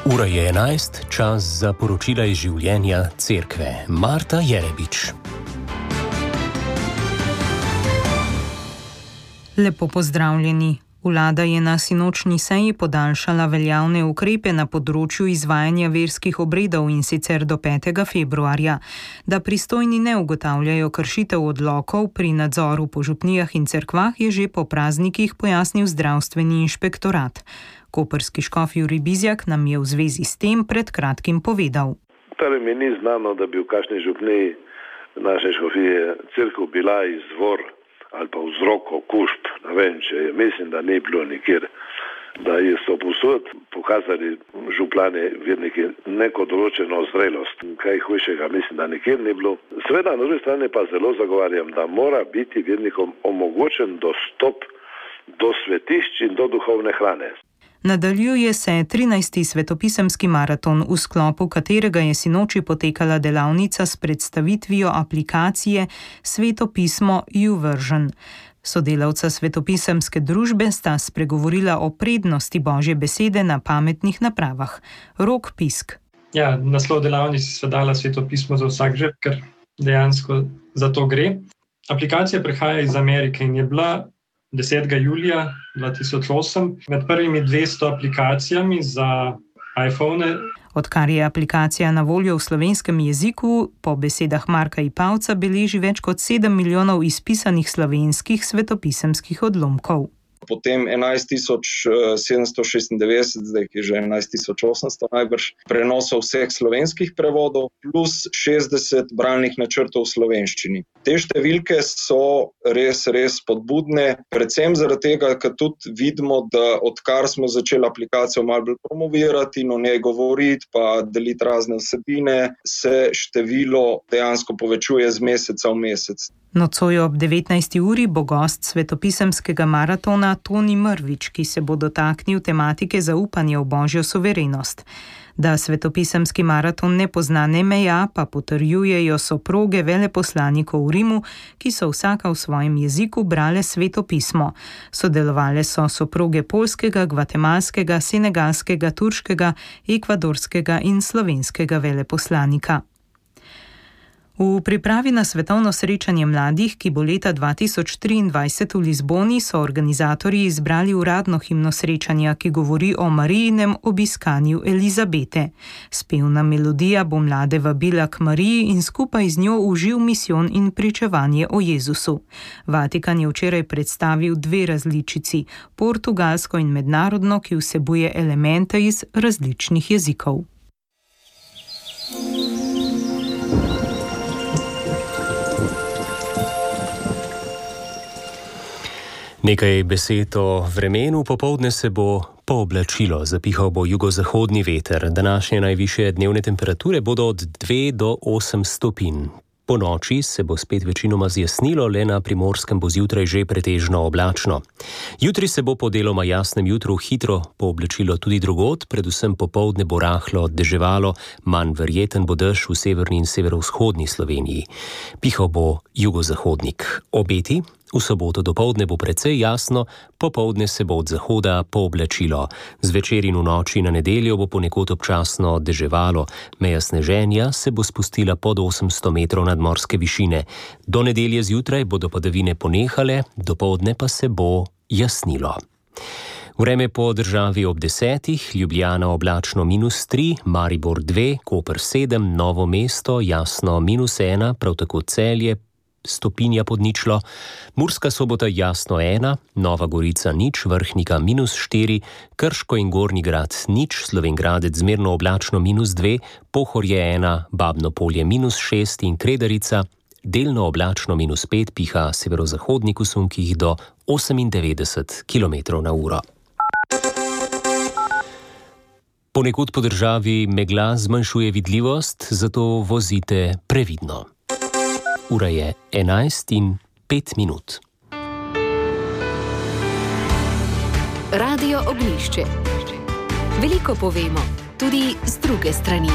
Ura je 11, čas za poročila iz življenja cerkve. Marta Jerebič. Lepo pozdravljeni. Vlada je na sinočnji seji podaljšala veljavne ukrepe na področju izvajanja verskih obredov, in sicer do 5. februarja. Da pristojni ne ugotavljajo kršitev odlokov pri nadzoru po župnijah in cerkvah, je že po praznikih pojasnil zdravstveni inšpektorat. Koprski škof Jurij Bizjak nam je v zvezi s tem pred kratkim povedal. Torej mi ni znano, da bi v kakšni župniji naše škofije cerkev bila izvor ali pa vzrok okužb. Ne vem, mislim, da ni bilo nikjer. Da so posod pokazali župljani, verniki, neko določeno zrelost. Kaj hujšega, mislim, da nikjer ni bilo. Seveda, na drugi strani pa zelo zagovarjam, da mora biti vernikom omogočen dostop do svetišč in do duhovne hrane. Nadaljuje se 13. svetopisemski maraton, v sklopu katerega je sinoči potekala delavnica s predstavitvijo aplikacije Sveto pismo YouVersion. Sodelavca svetopisemske družbe sta spregovorila o prednosti Božje besede na pametnih napravah. Rok Pisk. Ja, naslov delavnice se dala Sveto pismo za vsak žep, ker dejansko za to gre. Aplikacija prihaja iz Amerike in je bila 10. julija 2008 med prvimi 200 aplikacijami za iPhone. Odkar je aplikacija na voljo v slovenskem jeziku, po besedah Marka Ipavca beleži več kot 7 milijonov izpisanih slovenskih svetopisemskih odlomkov. Potem 11.796, zdaj je že 11.800 najbrž, prenosov vseh slovenskih prevodov, plus 60 bralnih načrtov v slovenščini. Te številke so res spodbudne, predvsem zaradi tega, ker tudi vidimo, da odkar smo začeli aplikacijo malo bolj promovirati in o njej govoriti, pa deliti razne vsebine, se število dejansko povečuje z meseca v mesec. Nocoj ob 19. uri bo gost svetopisemskega maratona Toni Mrvič, ki se bo dotaknil tematike zaupanja v Božjo suverenost. Da svetopisemski maraton ne pozna ne meja, pa potrjujejo soproge veleposlanikov v Rimu, ki so vsaka v svojem jeziku brale Sveto pismo. Sodelovale so soproge poljskega, gvatemalskega, senegalskega, turškega, ekvadorskega in slovenskega veleposlanika. V pripravi na svetovno srečanje mladih, ki bo leta 2023 v Lizboni, so organizatorji izbrali uradno himno srečanja, ki govori o Marijinem obiskanju Elizabete. Spevna melodija bo mlade vabila k Mariji in skupaj z njo v živ misijon in pričevanje o Jezusu. Vatikan je včeraj predstavil 2 različici, portugalsko in mednarodno, ki vsebuje elemente iz različnih jezikov. Nekaj besed o vremenu. Popoldne se bo pooblačilo, zapihal bo jugozahodni veter. Današnje najvišje dnevne temperature bodo od 2 do 8 stopinj. Po noči se bo spet večinoma zjasnilo, le na Primorskem bo zjutraj že pretežno oblačno. Jutri se bo po deloma jasnem jutru hitro pooblačilo tudi drugod, predvsem popoldne bo rahlo deževalo, manj verjeten bo dež v severni in severovzhodni Sloveniji. Pihal bo jugozahodnik. Obeti? V soboto dopoldne bo precej jasno, popoldne se bo od zahoda pooblačilo. Zvečer in v noči na nedeljo bo ponekod občasno deževalo. Meja sneženja se bo spustila pod 800 metrov nadmorske višine. Do nedelje zjutraj bodo padavine ponehale, dopoldne pa se bo jasnilo. Vreme po državi ob 10, Ljubljana oblačno -3, Maribor 2, Koper 7, Novo mesto jasno -1, prav tako Celje stopinja pod ničlo, Murska Sobota jasno 1, Nova Gorica 0, Vrhnika -4, Krško in Gornji Grad 0, Slovenj Gradec zmerno oblačno -2, Pohorje 1, Babno Polje -6 in Kredarica delno oblačno -5, piha severozahodnik v sunkih do 98 km/h. Ponekod po državi megla zmanjšuje vidljivost, zato vozite previdno. Ura je 11:05. Radio Ognjišče. Veliko povemo, tudi z druge strani.